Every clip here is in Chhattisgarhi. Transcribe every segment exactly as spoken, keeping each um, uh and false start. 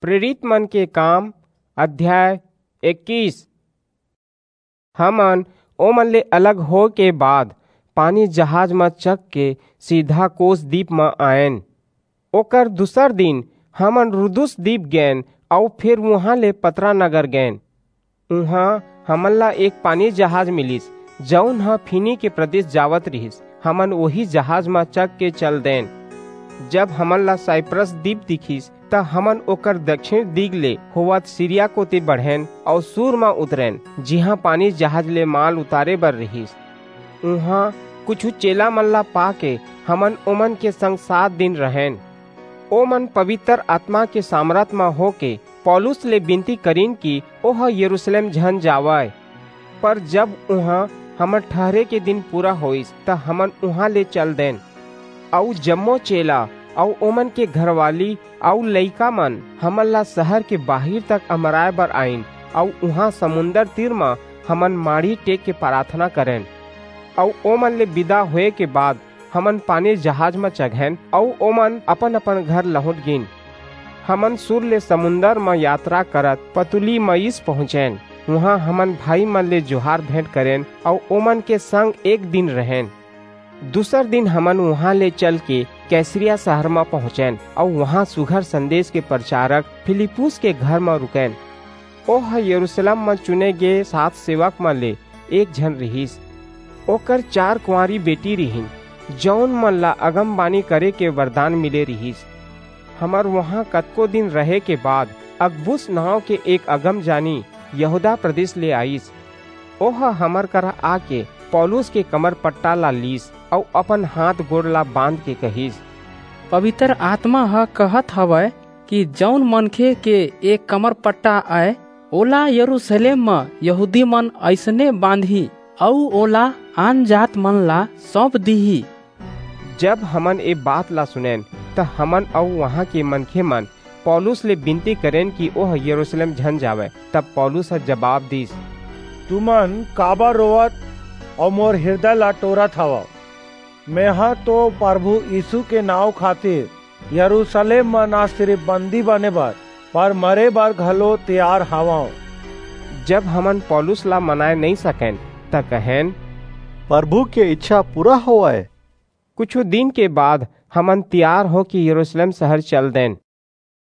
प्रेरित मन के काम, अध्याय इक्कीस। हमन ओमन ले अलग होय के बाद पानी जहाज म चघ के सीधा कोस दीप म आएन। ओकर दूसर दिन हमन रुदुस दीप गएन अऊ फेर उहां ले पतरा नगर गएन। उहां हमन ला एक पानी जहाज मिलिस, जऊन ह फीनी के प्रदेश जावत रिहिस। हमन ओही जहाज म चघ के चल देन। जब हमन ला साइप्रस दीप दिखिस, त हमन ओकर दक्षिण दिग ले होवत सीरिया कोति बढ़ेन अऊ सूर म उतरेन, जिहां पानी जहाज ले माल उतारे बर रिहिस। उहां कुछू चेला मन ला पाके हमन ओमन के संग सात दिन रहेन। ओमन पवित्र आत्मा के सामरथ म होके पौलुस ले बिनती करिन कि ओह यरूशलेम झन जावय। पर जब उहां हमर ठहरे के दिन पूरा होइस, त हमन उहां ले चल देन। अऊ जम्मो चेला अऊ ओमन के घरवाली अऊ लइका मन हमन ला शहर के बाहिर तक अमराए बर आइन, अऊ उहां समुंदर तीर म हमन माड़ी टेक के प्रार्थना करेन। अऊ ओमन ले विदा होए के बाद हमन पानी जहाज म चघेन, अऊ ओमन अपन-अपन घर लहुट गिन। हमन सूर ले समुंदर म यात्रा करत पतुलिमयिस पहुंचेन। उहां हमन भाई मन ले जोहार भेंट करेन, अऊ ओमन के संग एक दिन रहेन। दूसर दिन हमन उहां ले चल के कैसरिया शहर म पहुंचेन, अऊ उहां सुघर संदेश के प्रचारक फिलिप्पुस के घर म रुकेन। ओह यरूशलेम म चुने गे सात सेवक म ले एक झन रिहिस। ओकर चार कुंवारी बेटी रिहिन, जऊन मन ला अगमबानी करे के वरदान मिले रिहिस। हमर उहां कतको दिन रहे के बाद अगबुस नांव के एक अगमजानी यहूदा प्रदेश ले आईस। ओह हमर करा आके पौलुस के कमर पट्टा ला लीस अऊ अपन हाथ गोड़ ला बांध के कहिस, पवित्र आत्मा ह कहत हवय कि जऊन मनखे के एक कमर पट्टा आय, ओला यरूशलेम म यहूदी मन अइसने बांधही अऊ ओला आन जात मन ला सौंप दीही। जब हमन ए बात ला सुनेन, त हमन अऊ उहां के मनखे मन पौलुस ले बिनती करेन कि ओह यरूशलेम झन जावय। तब पौलुस ह जबाब दीस, तुमन काबर रोवत अऊ मोर हिरदय ला टोरत हवव? मेंह तो परभू यीसू के नांव खातिर यरूसलेम म न सिरिप बंदी बने बर, पर मरे बर घलो तियार हवंव। जब हमन पौलुस ला मनाय नइं सकेन, त कहेन, परभू के ईछा पूरा होवय। कुछू दिन के बाद हमन तियार होके यरूसलेम सहर चल देन।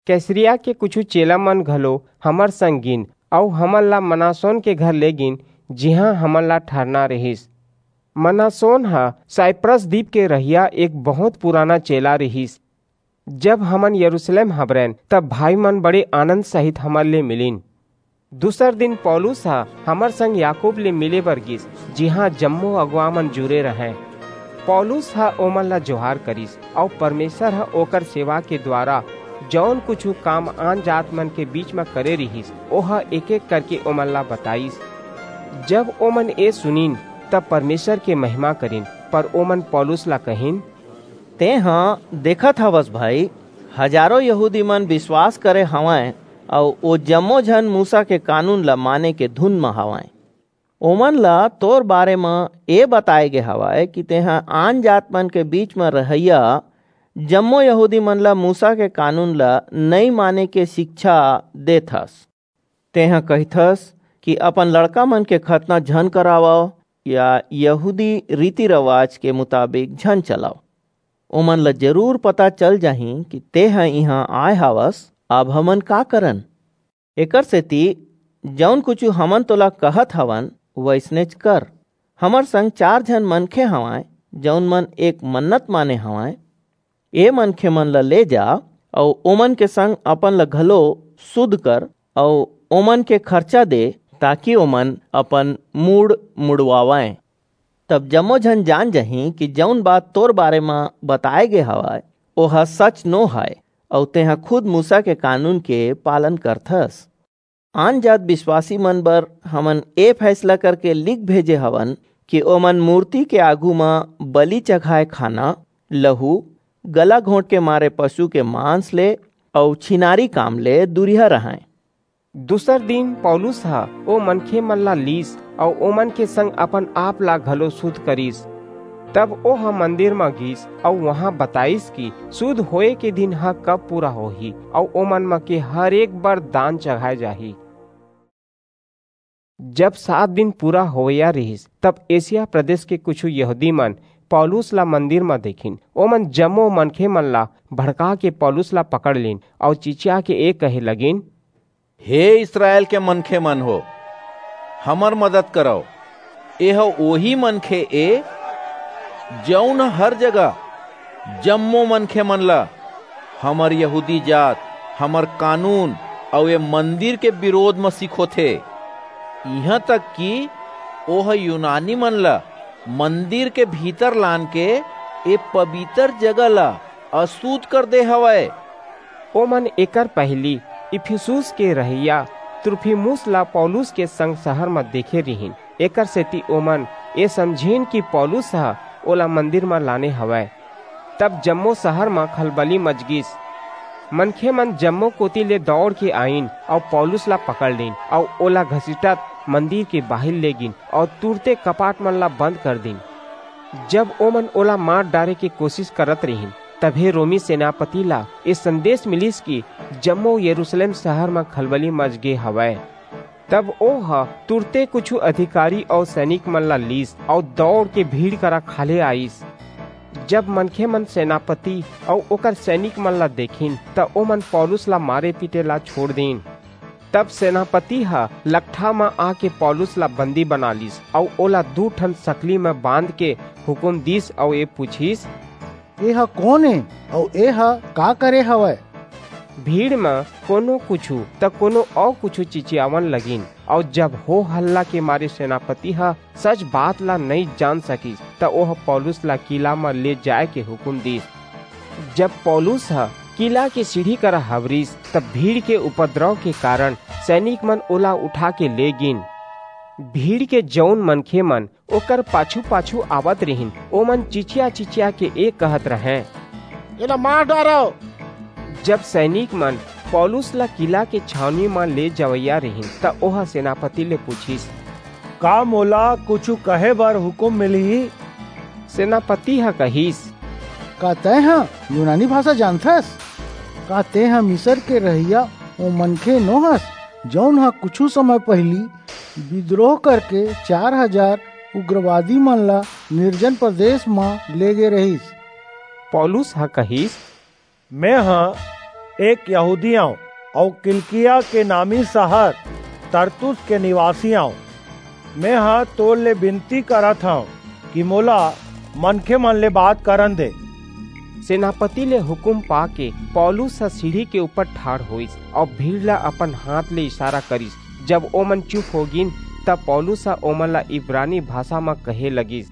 कैसरिया के कुछू चेला मन घलो हमर संग गिन, अऊ हमन ला मनासोन के घर ले गिन, जिहां हमन ला ठहरना रिहिस। मनासोन ह साइप्रस दीप के रहइया एक बहुंत पुराना चेला रिहिस। जब हमन यरूसलेम हबरेन, तब भाई मन बड़े आनंद सहित हमर ले मिलिन। दूसर दिन पौलुस ह हमर संग याकूब ले मिले बर गिस, जिहां जम्मो अगुवा मन जुरे रहंय। पौलुस ह ओमन ला जोहार करिस, अऊ परमेसर ह ओकर सेवा के दुवारा जऊन कुछू काम आन जात मन के बीच म करे रिहिस, ओह एक-एक करके ओमन ला बताईस। जब ओमन ए सुनिन, तब परमेसर के महिमा करिन, पर ओमन पौलुस ला कहिन, तेंह देखत हवस भाई, हजारों यहूदी मन बिसवास करे हवंय, अऊ ओ जम्मो झन मूसा के कानून ला माने के धुन म हवंय। ओमन ला तोर बारे म ए बताय गे हवय कि तेंह आन जात मन के बीच म रहइया जम्मो यहूदी मन ला मूसा के कानून ला नइं माने के सिकछा देथस। तेंह कहिथस कि अपन लड़का मन के खतना झन करावव या यहूदी रीति-रिवाज के मुताबिक झन चलव। ओमन ला जरूर पता चल जाही कि तेंह इहां आय हवस, अब हमन का करन? एकरसेति जऊन कुछू हमन तोला कहत हवन, वइसनेच कर। हमर संग चार झन मनखे हवंय, जऊन मन एक मन्नत माने हवंय। ए मनखे मन ला ले जा, अऊ ओमन के संग अपन ला घलो सुध कर, अऊ ओमन के खरचा दे, ताकि ओमन अपन मूड़ मुड़वावंय। तब जम्मो झन जान जाहीं कि जऊन बात तोर बारे म बताय गे हवय, ओह सच नो हय, अऊ तेंह खुद मूसा के कानून के पालन करथस। आनजात बिसवासी मन बर हमन ए फैसला करके लिख भेजे हवन कि ओमन मूरती के आघू म बलि चघाय खाना, लहू, गला घोंट के मारे पसु के मांस ले अऊ छिनारी काम ले दूरिहा रहंय। दूसर दिन पौलुस ह ओ मनखे मन ला लीस अऊ ओमन के संग अपन आप ला घलो सुध करिस। तब ओह मंदिर म गीस अऊ उहां बताईस कि सुध होए के दिन ह कब पूरा होही अऊ ओमन म के हर एक बर दान चघाए जाही। जब सात दिन पूरा होवइया रिहिस, तब एशिया प्रदेश के कुछू यहूदी मन पौलुस ला मंदिर म देखिन। ओमन जम्मो मनखे मन ला भड़का के पौलुस ला पकड़ लीन अऊ चिचिया के ए कहे लगिन, "हे इसरायल के मनखे मन हो, हमर मदद करव। एह ओही मनखे ए, जऊन हर जगह जम्मो मनखे मन ला हमर यहूदी जात, हमर कानून अऊ ए मंदिर के विरोध म सिखोथे। इहां तक कि ओह यूनानी मन ला मंदिर के भीतर लान के ए पबितर जगह ला अशुद्ध कर दे हवय।" ओमन एकर पहिली इफिसुस के रहइया त्रुफिमुस ला पौलुस के संग शहर म देखे रिहिन। एकर सेती ओमन ए समझिन कि पौलुस ह ओला मंदिर म लाने हवय। तब जम्मो शहर म खलबली मच गिस। मनखे मन जम्मो कोति ले दौड़ के आईन अऊ पौलुस ला पकड़ लीन अऊ ओला घसीटत मंदिर के बाहिर ले गिन अऊ तुरते कपाट मन ला बंद कर दीन। जब ओमन ओला मार डारे के कोशिश करत रिहिन, तभे रोमी सेनापति ला ए संदेश मिलिस कि जम्मो यरूशलेम शहर म खलबली मच गे हवय। तब ओह तुरते कुछू अधिकारी अऊ सैनिक मन ला लीस अऊ दौड़ के भीड़ करा खाल्हे आईस। जब मनखे मन सेनापति अऊ ओकर सैनिक मन ला देखिन, त ओमन पौलुस ला मारे पीटे ला छोड़ दीन। तब सेनापति ह लकठा म आके पौलुस ला बंदी बना लीस अऊ ओला दू ठन सकली म बांध के हुकूम दीस अऊ ए पूछिस, "एह कोन ए अऊ एह का करे हवय?" भीड़ म कोनो कुछू त कोनो अऊ कुछू चिचियावन लगिन, अऊ जब हो हल्ला के मारे सेनापति ह सच बात ला नइं जान सकिस, त ओह पौलुस ला किला म ले जाय के हुकूम दीस। जब पौलुस ह किला के सीढ़ी करा हवरिस, त भीड़ के उपद्रव के कारण सैनिक मन ओला उठा के ले गिन। भीड़ के जऊन मनखे मन ओकर पाछू-पाछू आवत रिहिन, ओमन चिचिया-चिचिया के ए कहत रहंय, "एला मार डारव।" जब सैनिक मन पौलुस ला किला के छावनी म ले जवइया रिहिन, त ओह सेनापति ले पूछिस, "का मोला कुछू कहे बर हुकूम मिलही?" सेनापति ह कहिस, "का तैं ह यूनानी भाषा जानथस? का तैं ह मिसर के रहइया ओ मनखे नो हस, जऊन ह कुछू समय पहिली विद्रोह करके चार हजार उग्रवादी मन ला निर्जन प्रदेश म ले गे रहिस?" पौलुस ह कहिस, "मेंह एक यहूदी अंव अऊ किलिकिया के नामी शहर तरसुस के निवासी अंव। मेंह तोर ले बिनती करत हंव कि मोला मनखे मन ले बात करन दे।" सेनापति ले हुकूम पाके पौलुस ह सीढ़ी के ऊपर ठाढ़ होईस अऊ भीड़ ला अपन हाथ ले इशारा करिस। जब ओमन चुप हो गिन, तब पौलुस ह ओमन ला इब्रानी भाषा म कहे लगिस,